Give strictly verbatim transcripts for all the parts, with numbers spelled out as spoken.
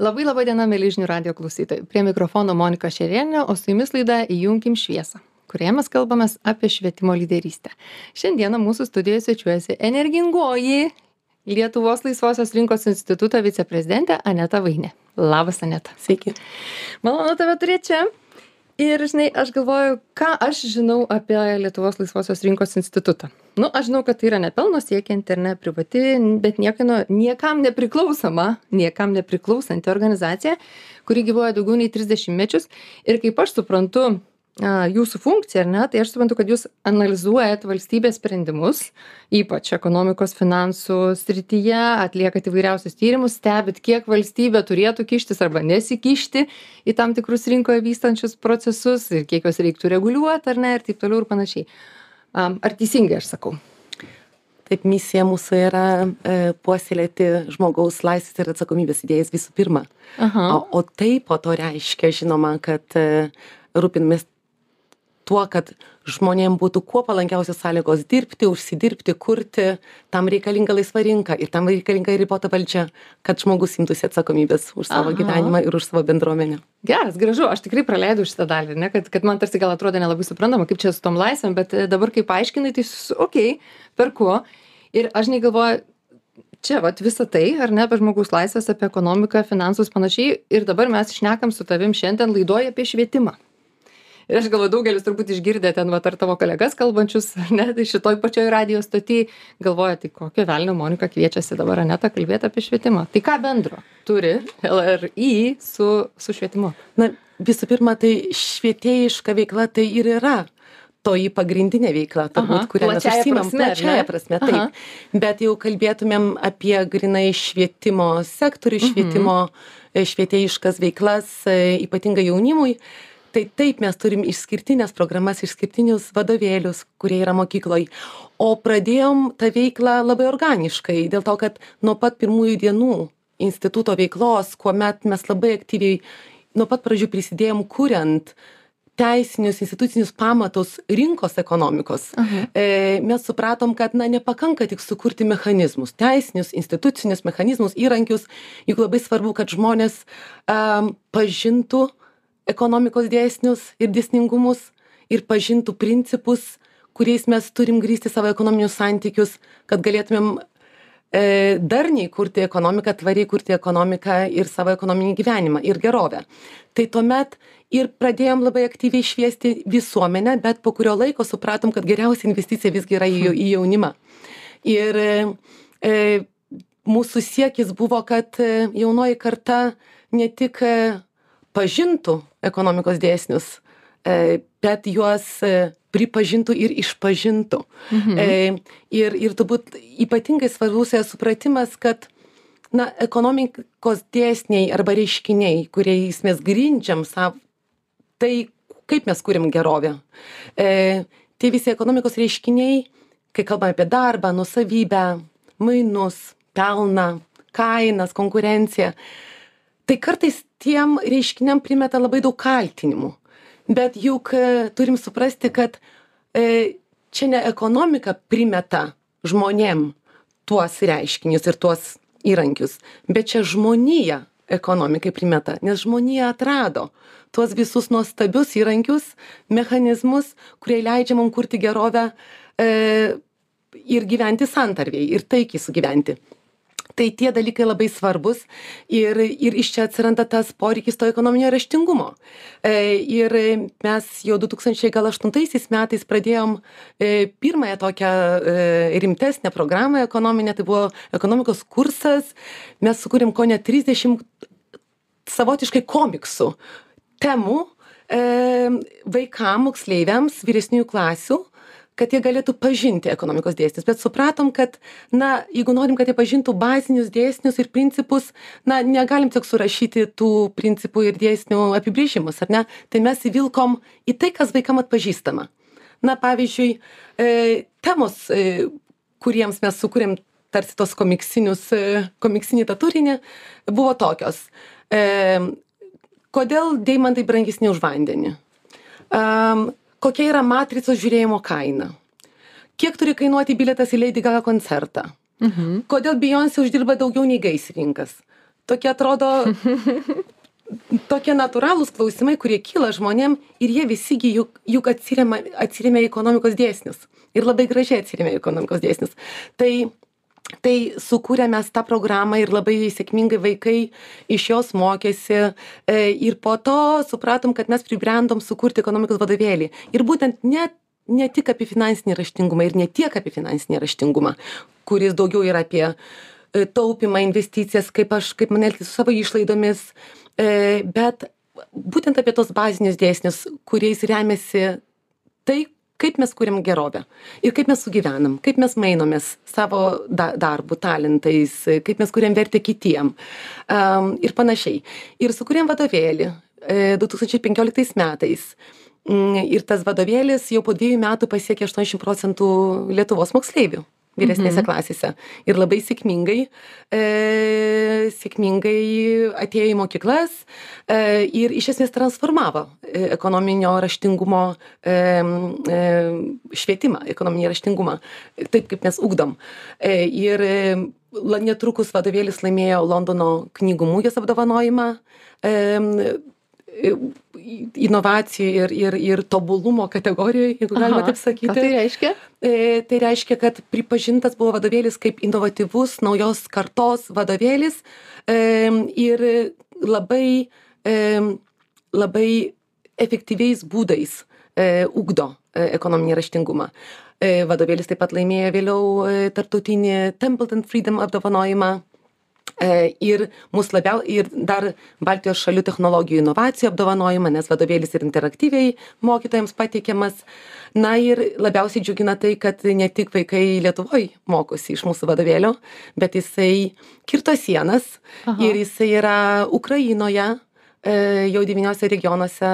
Labai labai diena, mėly žinių radio klausytojai. Prie mikrofono Monika Šerienė, o su jumis laida Įjunkim šviesą, kurioje mes kalbamės apie švietimo lyderystę. Šiandieną mūsų studijoje svečiuojasi energingoji Lietuvos laisvosios rinkos instituto viceprezidentė Aneta Vainė. Labas, Aneta. Sveiki. Malonu tave turėti čia. Ir, žinai, aš galvoju, ką aš žinau apie Lietuvos laisvosios rinkos institutą. Nu, aš žinau, kad tai yra nepelno siekianti ir ne privati, bet niekino, niekam nepriklausoma, niekam nepriklausanti organizacija, kuri gyvuoja daugiau nei trisdešimt mečius. Ir kaip aš suprantu a, jūsų funkciją, ar ne, tai aš suprantu, kad jūs analizuojat valstybės sprendimus, ypač ekonomikos finansų srityje, atliekat įvairiausius tyrimus, stebit, kiek valstybė turėtų kištis arba nesikišti į tam tikrus rinkoje vystančius procesus ir kiek juos reiktų reguliuoti, ar ne, ir taip toliau ir panašiai. Ar teisingai aš sakau? Taip, misija mūsų yra e, puoselėti žmogaus laisvės ir atsakomybės idėjas visų pirma. Aha. O, o tai po to reiškia, žinoma, kad e, rūpinamės tuo, kad žmonėm būtų kuo palankiausios sąlygos dirbti, užsidirbti, kurti, tam reikalinga laisva rinka ir tam reikalinga ribota valdžia, kad žmogus imtųsi atsakomybės už savo Aha. gyvenimą ir už savo bendruomenę. Geras, gražu, aš tikrai praleidau šitą dalį, ne, kad, kad man tarsi gal atrodo nelabai suprantama, kaip čia su tom laisvėm, bet dabar kaip paaiškinai, tai okei, okay, perku. Ir aš negalvoju, čia vat visą tai, ar ne, apie žmogaus laisvės, apie ekonomiką, finansus panašiai, ir dabar mes šnekam su tavim šiandien laidoje apie švietimą. Ir aš galvoju, daugelis turbūt išgirdė ten, va, ar tavo kolegas kalbančius, ne, tai šitoj pačioj radio stoty, galvoja, tai kokio velnio Monika kviečiasi dabar Anetą kalbėti apie švietimą. Tai ką bendro turi L R I su, su švietimu? Na, visų pirma, tai švietėjiška veikla tai ir yra toji pagrindinė veikla, turbūt, kurią mes užsiimam plačiaja prasme, taip. Aha. Bet jau kalbėtumėm apie grynai švietimo sektorių, švietimo, mhm. švietėjiškas veiklas, ypatingai jaunimui. Tai taip, mes turim išskirtinės programas, išskirtinius vadovėlius, kurie yra mokykloj. O pradėjom tą veiklą labai organiškai, dėl to, kad nuo pat pirmųjų dienų instituto veiklos, kuomet mes labai aktyviai nuo pat pradžių prisidėjom kuriant teisinius, institucinius pamatus rinkos ekonomikos, uh-huh. e, mes supratom, kad na, nepakanka tik sukurti mechanizmus, teisinius, institucinius mechanizmus, įrankius, juk labai svarbu, kad žmonės um, pažintų ekonomikos dėsnius ir dėsningumus ir pažintų principus, kuriais mes turim grįsti savo ekonominius santykius, kad galėtumėm e, darniai kurti ekonomiką, tvariai kurti ekonomiką ir savo ekonominį gyvenimą ir gerovę. Tai tuomet ir pradėjom labai aktyviai šviesti visuomenę, bet po kurio laiko supratom, kad geriausia investicija visgi yra į, į jaunimą. Ir e, mūsų siekis buvo, kad jaunoji karta ne tik e, pažintų ekonomikos dėsnius, bet juos pripažintų ir išpažintų. Mhm. Ir, ir turbūt ypatingai svarbus yra supratimas, kad na, ekonomikos dėsniai arba reiškiniai, kuriais mes grindžiam savo, tai kaip mes kuriam gerovę. E, tie visi ekonomikos reiškiniai, kai kalbame apie darbą, nusavybę, mainus, pelną, kainas, konkurenciją, tai kartais tiem reiškiniam primeta labai daug kaltinimų. Bet juk e, turim suprasti, kad e, čia ne ekonomika primeta žmonėm tuos reiškinius ir tuos įrankius, bet čia žmonija ekonomikai primeta, nes žmonija atrado tuos visus nuostabius įrankius, mechanizmus, kurie leidžia mums kurti gerovę e, ir gyventi santarvėj, ir taikiai sugyventi. Tai tie dalykai labai svarbus ir, ir iš čia atsiranda tas poreikis to ekonominio raštingumo. E, ir mes jau du tūkstančiai aštuntaisiais metais pradėjom e, pirmąją tokią e, rimtesnę programą ekonominę, tai buvo ekonomikos kursas. Mes sukūrėm ko ne trisdešimt savotiškai komiksų temų e, vaikam, moksleiviams, vyresniųjų klasių, kad jie galėtų pažinti ekonomikos dėsnius. Bet supratom, kad, na, jeigu norim, kad jie pažintų bazinius dėsnius ir principus, na, negalim tik surašyti tų principų ir dėsnių apibrėžimus, ar ne? Tai mes įvilkom į tai, kas vaikam atpažįstama. Na, pavyzdžiui, e, temos, e, kuriems mes sukūrėm tarsi tos komiksinius, e, komiksinį tą turinį, buvo tokios. E, kodėl deimantai brangesni už vandenį? Um, kokia yra matricos žiūrėjimo kaina? Kiek turi kainuoti bilietas į Lady Gaga koncertą? Mhm. Kodėl Beyoncé uždirba daugiau nei gaisrininkas? tokie atrodo tokie natūralūs klausimai, kurie kyla žmonėm ir jie visigi juk, juk atsiremia, atsiremia į ekonomikos dėsnius. Ir labai gražiai atsiremia į ekonomikos dėsnius. Tai Tai sukūrėme tą programą ir labai sėkmingai vaikai iš jos mokėsi ir po to supratom, kad mes pribrendom sukurti ekonomikos vadovėlį. Ir būtent ne, ne tik apie finansinį raštingumą ir ne tiek apie finansinį raštingumą, kuris daugiau yra apie taupimą, investicijas, kaip aš, kaip man elgtis su savo išlaidomis, bet būtent apie tos bazinius dėsnius, kuriais remiasi tai, kaip mes kuriam gerovę ir kaip mes sugyvenam, kaip mes mainomės savo da darbu, talentais, kaip mes kuriam vertę kitiem um, ir panašiai. Ir sukūrėm vadovėlį e, du tūkstančiai penkioliktais metais. Ir tas vadovėlis jau po dviejų metų pasiekė aštuoniasdešimt procentų Lietuvos moksleivių vyresnėse mhm. klasėse. Ir labai sėkmingai, e, sėkmingai atėjo į mokyklas e, ir iš esmės transformavo e, ekonominio raštingumo e, e, švietimą, ekonominį raštingumą, taip kaip mes ugdom. E, ir e, netrukus vadovėlis laimėjo Londono knygų mugės apdovanojimą. E, inovacijų ir, ir, ir tobulumo kategorijoje, jeigu galima taip sakyti. Ką tai reiškia? E, tai reiškia, kad pripažintas buvo vadovėlis kaip inovatyvus naujos kartos vadovėlis e, ir labai, e, labai efektyviais būdais e, ugdo e, ekonominį raštingumą. E, vadovėlis taip pat laimėjo vėliau e, tarptautinį Templeton Freedom apdovanojimą. Ir mus labiau, ir dar Baltijos šalių technologijų inovacijų apdovanojimą, nes vadovėlis ir interaktyviai mokytojams pateikiamas. Na ir labiausiai džiugina tai, kad ne tik vaikai Lietuvoje mokosi iš mūsų vadovėlio, bet jisai kirto sienas. Aha. Ir jisai yra Ukrainoje, jau devyniuose regionuose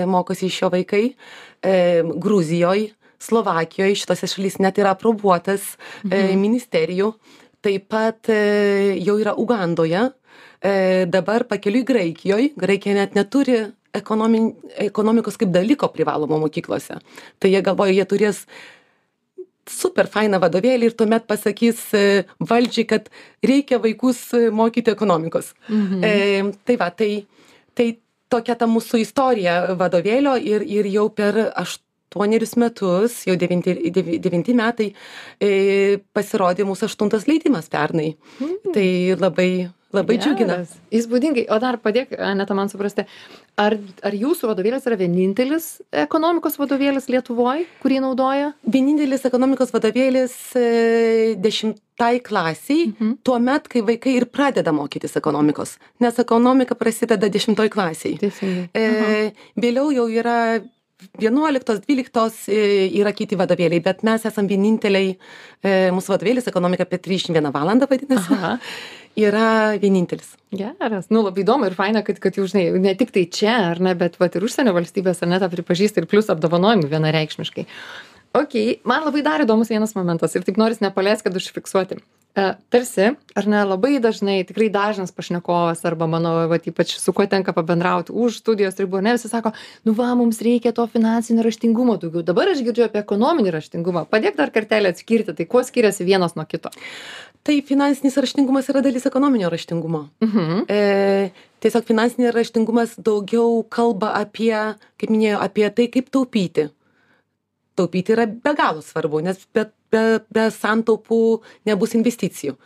mokosi iš jo vaikai, Gruzijoje, Slovakijoje, šitose šalyse net yra aprobuotas mhm. ministerijų. Taip pat e, jau yra Ugandoje, e, dabar pakeliui Graikijoje. Graikija net neturi ekonomi, ekonomikos kaip dalyko privalomo mokyklose. Tai jie galvoja, jie turės super fainą vadovėlį ir tuomet pasakys e, valdžiai, kad reikia vaikus mokyti ekonomikos. Mhm. E, tai va, tai, tai tokia ta mūsų istorija vadovėlio ir, ir jau per aštuonerius metus, jau devinti, devinti metai, e, pasirodė mūsų aštuntas leidimas pernai. Mm. Tai labai, labai yes. džiugina. Įspūdingai. O dar padėk, Aneta, man suprasti, ar, ar jūsų vadovėlis yra vienintelis ekonomikos vadovėlis Lietuvoje, kurį naudoja? Vienintelis ekonomikos vadovėlis e, dešimtai klasiai, mm-hmm. tuo met, kai vaikai ir pradeda mokytis ekonomikos. Nes ekonomika prasideda dešimtoj klasiai. Teisingai. E, vėliau jau yra vienuoliktos, dvyliktos yra kiti vadovėliai, bet mes esam vieninteliai, mūsų vadovėlis ekonomika apie trisdešimt vieną valandą vadinasi, Aha. yra vienintelis. Geras, nu labai įdomu ir faina, kad, kad jau žinai, ne tik tai čia, ar ne, bet vat, ir užsienio valstybės ar ne tą pripažįsta ir plus apdovanojimų vienareikšmiškai. Ok, man labai dar įdomus vienas momentas ir taip noris nepaleis, kad užfiksuoti. E, tarsi, ar ne, labai dažnai, tikrai dažnas pašnekovas arba mano, va, ypač su kuo tenka pabendrauti už studijos ribų, ne, visi sako, nu va, mums reikia to finansinio raštingumo daugiau. Dabar aš girdžiu apie ekonominį raštingumą. Padėk dar kartelį atskirti, tai kuo skiriasi vienas nuo kito? Tai finansinis raštingumas yra dalis ekonominio raštingumo. Mhm. E, tiesiog finansinis raštingumas daugiau kalba apie, kaip minėjau, apie tai, kaip taupyti. Taupyti yra be galo svarbu, nes be, be, be santaupų nebus investicijų.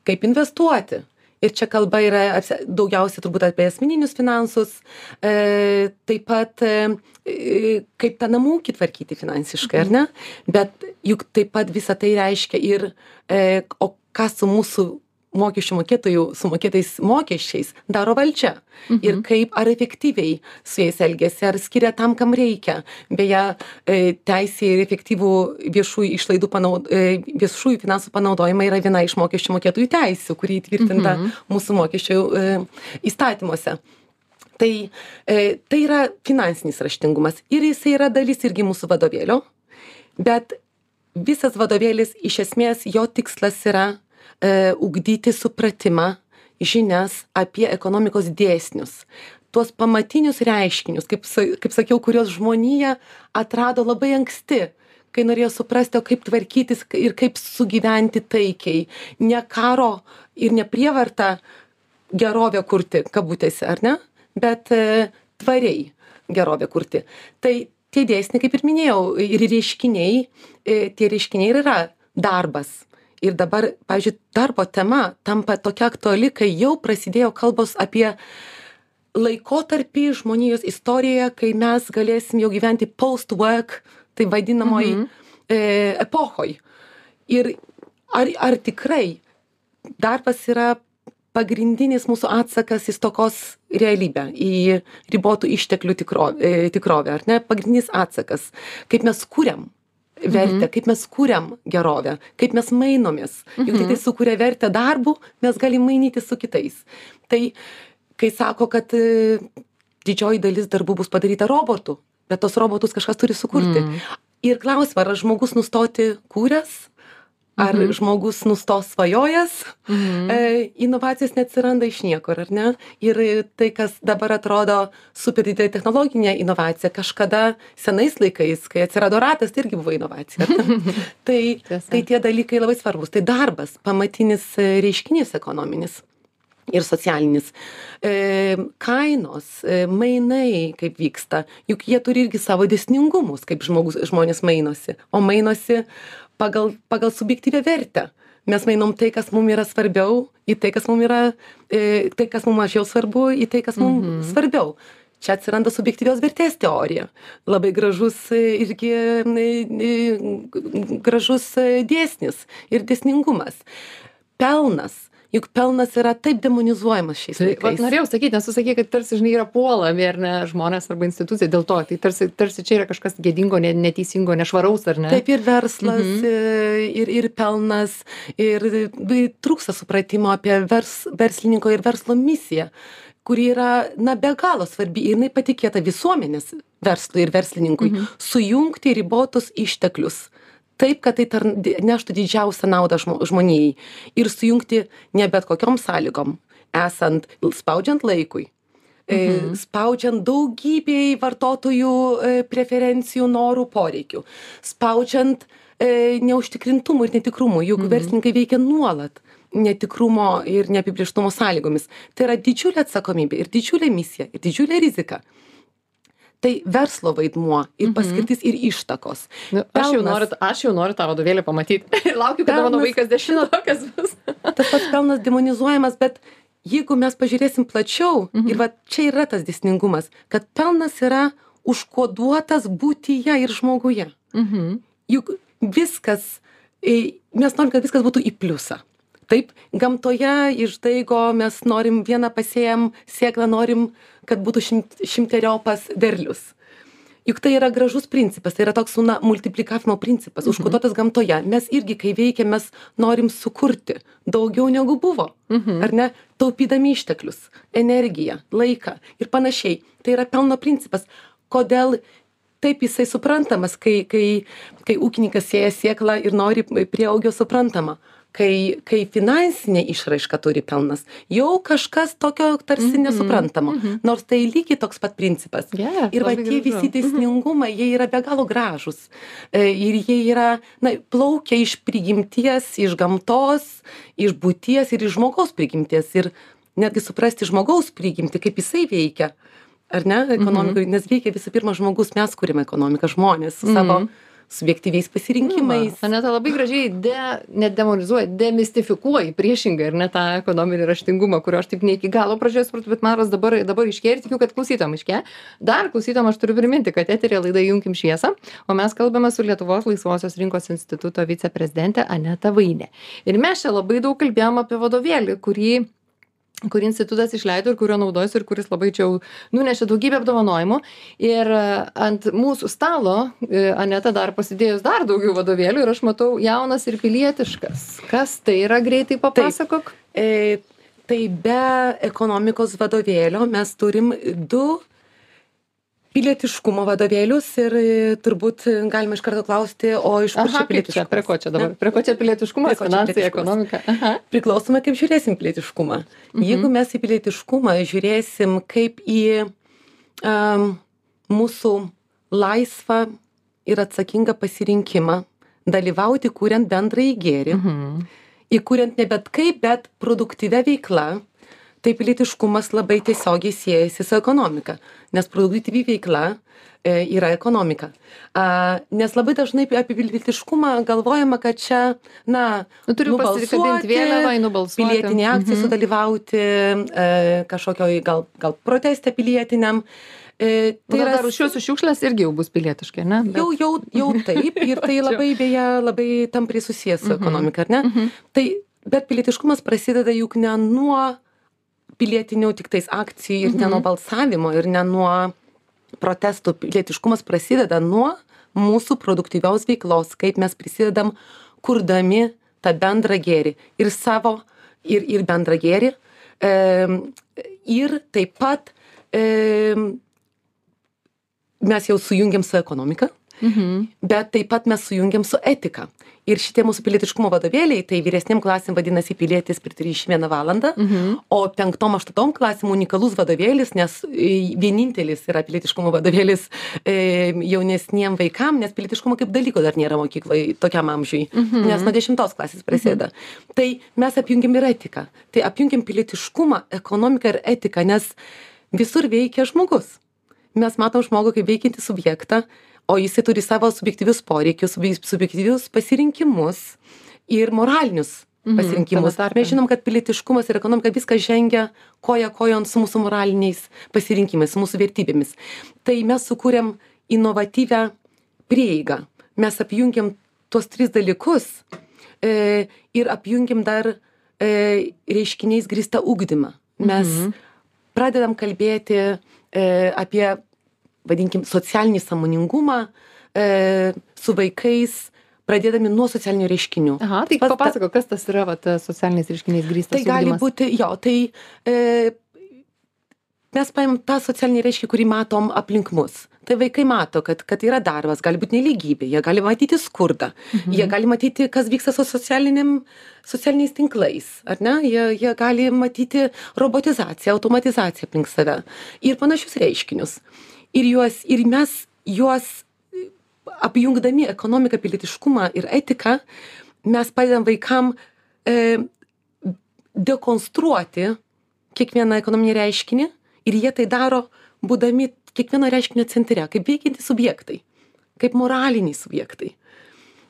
Kaip investuoti? Ir čia kalba yra daugiausiai turbūt apie asmeninius finansus, e, taip pat e, kaip tą namų ūkį tvarkyti finansiškai, ar ne? Bet juk taip pat visą tai reiškia ir, e, o ką su mūsų mokesčių mokėtojų sumokėtais mokesčiais daro valdžia. Mhm. Ir kaip, ar efektyviai su jais elgiasi, ar skiria tam, kam reikia. Beje, teisė ir efektyvų viešųjų išlaidų panaud, viešųjų finansų panaudojimą yra viena iš mokesčių mokėtojų teisių, kuri įtvirtinta mhm. mūsų mokesčių įstatymuose. Tai, tai yra finansinis raštingumas ir jisai yra dalis irgi mūsų vadovėlio, bet visas vadovėlis iš esmės jo tikslas yra ugdyti supratimą, žinias apie ekonomikos dėsnius. Tuos pamatinius reiškinius, kaip, kaip sakiau, kurios žmonija atrado labai anksti, kai norėjo suprasti, o kaip tvarkytis ir kaip sugyventi taikiai. Ne karo ir ne prievarta gerovę kurti, kabutėse, ar ne? Bet e, tvariai gerovę kurti. Tai tie dėsniai, kaip ir minėjau, ir reiškiniai, e, tie reiškiniai ir yra darbas. Ir dabar, pavyzdžiui, darbo tema tampa tokia aktuali, kai jau prasidėjo kalbos apie laikotarpį žmonijos istorijoje, kai mes galėsim jau gyventi post-work, tai vadinamoj mhm. e, epochoj. Ir ar, ar tikrai darbas yra pagrindinis mūsų atsakas į stokos realybę, į ribotų išteklių tikro, e, tikrovę, ar ne? Pagrindinis atsakas, kaip mes kuriam vertę, mhm. kaip mes kuriam gerovę, kaip mes mainomės. Juk mhm. tai sukuria vertę darbu, mes galim mainyti su kitais. Tai kai sako, kad e, didžioji dalis darbų bus padaryta robotų, bet tos robotus kažkas turi sukurti. Mm. Ir klausimą, ar žmogus nustoti kūręs, ar mm-hmm. žmogus nustos svajojęs, mm-hmm. e, inovacijos neatsiranda iš niekur, ar ne? Ir tai, kas dabar atrodo super didelė technologinė inovacija, kažkada senais laikais, kai atsirado ratas, tai irgi buvo inovacija. tai, tai tie dalykai labai svarbus. Tai darbas, pamatinis reiškinys ekonominis ir socialinis. E, kainos, e, mainai, kaip vyksta, juk jie turi irgi savo dėsningumus, kaip žmogus, žmonės mainosi, o mainosi pagal, pagal subjektyvę vertę. Mes mainom tai, kas mums yra svarbiau, į tai, kas mums yra, e, tai, kas mums mažiau svarbu, į tai, kas mums mm-hmm. svarbiau. Čia atsiranda subjektyvios vertės teorija. Labai gražus irgi gražus dėsnis ir dėsningumas. Pelnas. Juk pelnas yra taip demonizuojamas šiais laikais. Vat norėjau sakyti, nes tu sakei, kad tarsi, žinai, yra puolami, ar ne, žmonės arba institucija dėl to. Tai tarsi, tarsi čia yra kažkas gėdingo, neteisingo, nešvaraus, ar ne? Taip, ir verslas, mhm. ir, ir pelnas, ir trūksta supratimo apie vers, verslininko ir verslo misiją, kuri yra, na, be galo svarbi, ir jinai patikėta visuomenės verslui ir verslininkui, mhm. sujungti ribotus išteklius. Taip, kad tai tar, neštų didžiausią naudą žmonijai ir sujungti ne bet kokiom sąlygom, esant, spaudžiant laikui, mhm. spaudžiant daugybei vartotojų preferencijų, norų, poreikių, spaudžiant e, neužtikrintumų ir netikrumų, juk mhm. verslininkai veikia nuolat netikrumo ir neapibrėžtumo sąlygomis. Tai yra didžiulė atsakomybė ir didžiulė misija ir didžiulė rizika. Tai verslo vaidmuo ir paskirtis mm-hmm. ir ištakos. Nu, aš, jau noriu, aš jau noriu tą vadovėlį pamatyti. Laukiu, kada pelnas, mano vaikas dešimtokas bus. Tas pats pelnas demonizuojamas, bet jeigu mes pažiūrėsim plačiau, mm-hmm. ir va čia yra tas dėsningumas, kad pelnas yra užkoduotas būtyje ir žmoguje. Mm-hmm. Juk viskas, mes norim, kad viskas būtų į pliusą. Taip, gamtoje iš daigo mes norim vieną pasėjam sėklą, norim, kad būtų šimt, šimteriopas derlius. Juk tai yra gražus principas, tai yra toks na, multiplikavimo principas, mhm. užkoduotas gamtoje. Mes irgi, kai veikiam, mes norim sukurti daugiau negu buvo, mhm. ar ne, taupydami išteklius, energiją, laiką ir panašiai. Tai yra pelno principas. Kodėl taip jisai suprantamas, kai, kai, kai ūkininkas sėja sėklą ir nori prieaugio suprantama? Kai, kai finansinė išraiška turi pelnas, jau kažkas tokio tarsi mm-hmm. nesuprantamo, mm-hmm. nors tai lygiai toks pat principas. Yeah, ir va tie visi dėsningumai, mm-hmm. jie yra be galo gražus. Ir jie yra, na, plaukia iš prigimties, iš gamtos, iš būties ir iš žmogaus prigimties. Ir netgi suprasti žmogaus prigimtį, kaip jisai veikia, ar ne, ekonomikai, mm-hmm. nes veikia visų pirma žmogus, mes kūrėme ekonomiką, žmonės su mm-hmm. savo subjektyviais pasirinkimais. Na, Aneta labai gražiai de, nedemonizuoja, demistifikuoja priešingai ir ne tą ekonominį raštingumą, kurio aš taip ne iki galo pradžioje supratau, bet man dabar, dabar iškė ir tikiu, kad klausytom iškė. Dar klausytom aš turiu priminti, kad eterė laida Junkim šviesą, o mes kalbame su Lietuvos laisvosios rinkos instituto viceprezidente Aneta Vainė. Ir mes čia labai daug kalbėjom apie vadovėlį, kurį kurį institutas išleido ir kurio naudojasi ir kuris labai čia jau nunešė daugybę apdovanojimų. Ir ant mūsų stalo Aneta dar pasidėjus dar daugiau vadovėlių ir aš matau jaunas ir pilietiškas. Kas tai yra, greitai papasakok? Tai, e, tai be ekonomikos vadovėlio mes turim du pilietiškumo vadovėlius ir turbūt galima iš karto klausti, o iš kur čia pilietiškumas? Prie ko čia dabar? Prie ko čia pilietiškumas, finansai, ekonomika? Aha. Priklausome, kaip žiūrėsim pilietiškumą. Mhm. Jeigu mes į pilietiškumą žiūrėsim kaip į um, mūsų laisvą ir atsakingą pasirinkimą dalyvauti, kuriant bendrąjį gėrį, mhm. įkuriant ne bet kaip, bet produktyvę veiklą, tai pilietiškumas labai tiesiogiai siejasi su ekonomika, nes produktyvi veikla e, yra ekonomika. A, nes labai dažnai apie pilietiškumą galvojama, kad čia, na, nu, turiu nubalsuoti, vėliavą, nubalsuoti, pilietinė akcija, mhm. sudalyvauti e, kažkokioj gal, gal proteste pilietiniam. E, tai yra dar rūšiuosiu šiukšlės irgi jau bus pilietiškai, ne? Bet... Jau, jau, jau taip, ir tai labai, beje, labai tampriai susijęs su ekonomika, ar ne? Uh -huh. Tai, bet pilietiškumas prasideda juk ne nuo pilietinių tik tais akcijų ir uh -huh. ne nuo balsavimo ir ne nuo protestų. Pilietiškumas prasideda nuo mūsų produktyvios veiklos, kaip mes prisidedam kurdami tą bendrą gėrį ir savo, ir, ir bendrą gėrį. E, ir taip pat e, mes jau sujungiam su ekonomika, mhm. bet taip pat mes sujungiam su etika. Ir šitie mūsų pilietiškumo vadovėliai, tai vyresnėm klasėm vadinasi pilietis per trisdešimt vieną valandą, mhm. o penktom, aštuntom klasėm unikalus vadovėlis, nes vienintelis yra pilietiškumo vadovėlis e, jaunesniem vaikam, nes pilietiškumo kaip dalyko dar nėra mokykloje tokiam amžiui, mhm. nes nuo dešimtos klasės prasideda. Mhm. Tai mes apjungiam ir etiką. Tai apjungiam pilietiškumą, ekonomiką ir etiką, nes visur veikia žmogus. Mes matom žmogų kaip veikiantį subjektą, o jisai turi savo subjektyvius poreikius, subjektyvius pasirinkimus ir moralinius pasirinkimus. Mhm, mes žinom, kad pilietiškumas ir ekonomika viskas žengia koja kojon su mūsų moraliniais pasirinkimais, su mūsų vertybėmis. Tai mes sukūrėm inovatyvią prieigą. Mes apjungiam tuos tris dalykus e, ir apjungiam dar e, reiškiniais grįstą ugdymą. Mes mhm. pradedam kalbėti E, apie, vadinkim, socialinį sąmoningumą e, su vaikais, pradėdami nuo socialinių reiškinių. Aha, tai Pas, papasako, kas tas yra va, socialiniais reiškiniais grįstas ugdymas? Tai gali būti, jo, tai e, mes paėm tą socialinį reiškinį, kurį matom aplink mus. Tai vaikai mato, kad, kad yra darbas, gali būti nelygybė, jie gali matyti skurdą, mhm. jie gali matyti, kas vyksta su socialiniais tinklais, ar ne? Jie, jie gali matyti robotizaciją, automatizaciją aplink save ir panašius reiškinius. Ir, juos, ir mes juos apjungdami ekonomiką, pilietiškumą ir etiką, mes padedam vaikam e, dekonstruoti kiekvieną ekonominį reiškinį ir jie tai daro būdami kiekvieno reiškinio centre, kaip veikiantys subjektai, kaip moraliniai subjektai.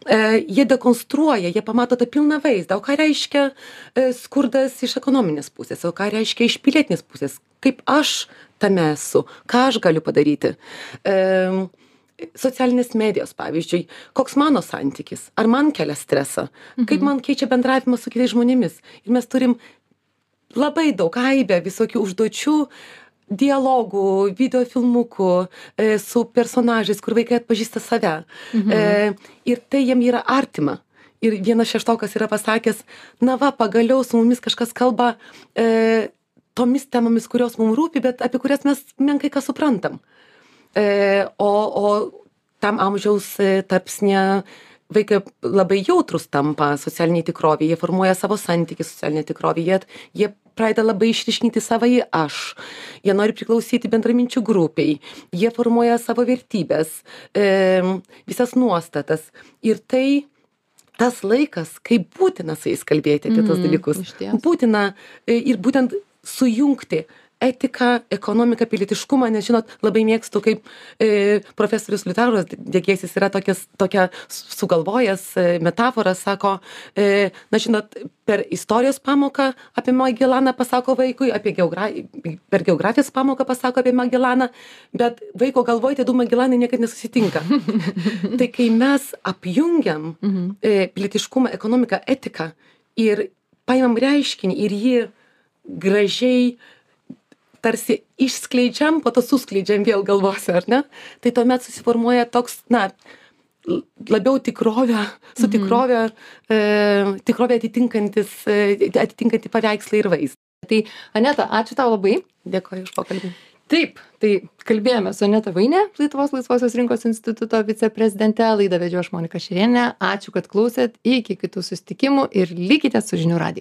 E, jie dekonstruoja, jie pamato tą pilną vaizdą, o ką reiškia e, skurdas iš ekonominės pusės, o ką reiškia iš pilietinės pusės, kaip aš tame esu, ką aš galiu padaryti. E, socialinės medijos, pavyzdžiui, koks mano santykis, ar man kelia stresą, mhm. kaip man keičia bendravimas su kitais žmonėmis. Ir mes turim labai daug aibę visokių užduočių, dialogų, videofilmukų e, su personažais, kur vaikai atpažįsta save. Mhm. E, ir tai jiem yra artima. Ir vienas šeštokas yra pasakęs, na va, pagaliau su mumis kažkas kalba e, tomis temomis, kurios mums rūpi, bet apie kurias mes menkai ką suprantam. E, o, o tam amžiaus e, tarpsnė vaikai labai jautrus tampa socialiniai tikrovė, jie formuoja savo santykį socialinę tikrovę, jie, jie pradeda labai išryškinti savąjį aš, jie nori priklausyti bendraminčių grupiai, jie formuoja savo vertybės, e, visas nuostatas. Ir tai tas laikas, kai būtina su jais kalbėti apie mm, tos dalykus. Būtina e, ir būtent sujungti etiką, ekonomiką, pilietiškumą, nes, žinot, labai mėgstu, kaip e, profesorius Liutauras Degėsis yra tokias, tokia sugalvojęs e, metaforą, sako, e, na, žinot, per istorijos pamoką apie Magelaną pasako vaikui, apie geogra... per geografijos pamoką pasako apie Magelaną, bet vaiko galvoje tie du Magelanai niekada nesusitinka. Tai kai mes apjungiam e, pilietiškumą, ekonomiką, etiką ir paimam reiškinį ir jį gražiai tarsi išskleidžiam, po to suskleidžiam vėl galvose, ar ne? Tai tuomet susiformuoja toks, na, labiau tikrovę, su tikrovė, e, tikrovė atitinkantis, e, atitinkanti paveikslai ir vaizdą. Tai, Aneta, ačiū tau labai. Dėkoju už pokalbį. Taip, tai kalbėjome su Aneta Vainė, Lietuvos laisvosios rinkos instituto viceprezidente, laidą vedžiau aš Monika Šerienė. Ačiū, kad klausėt, iki kitų susitikimų ir likite su Žinių radiju.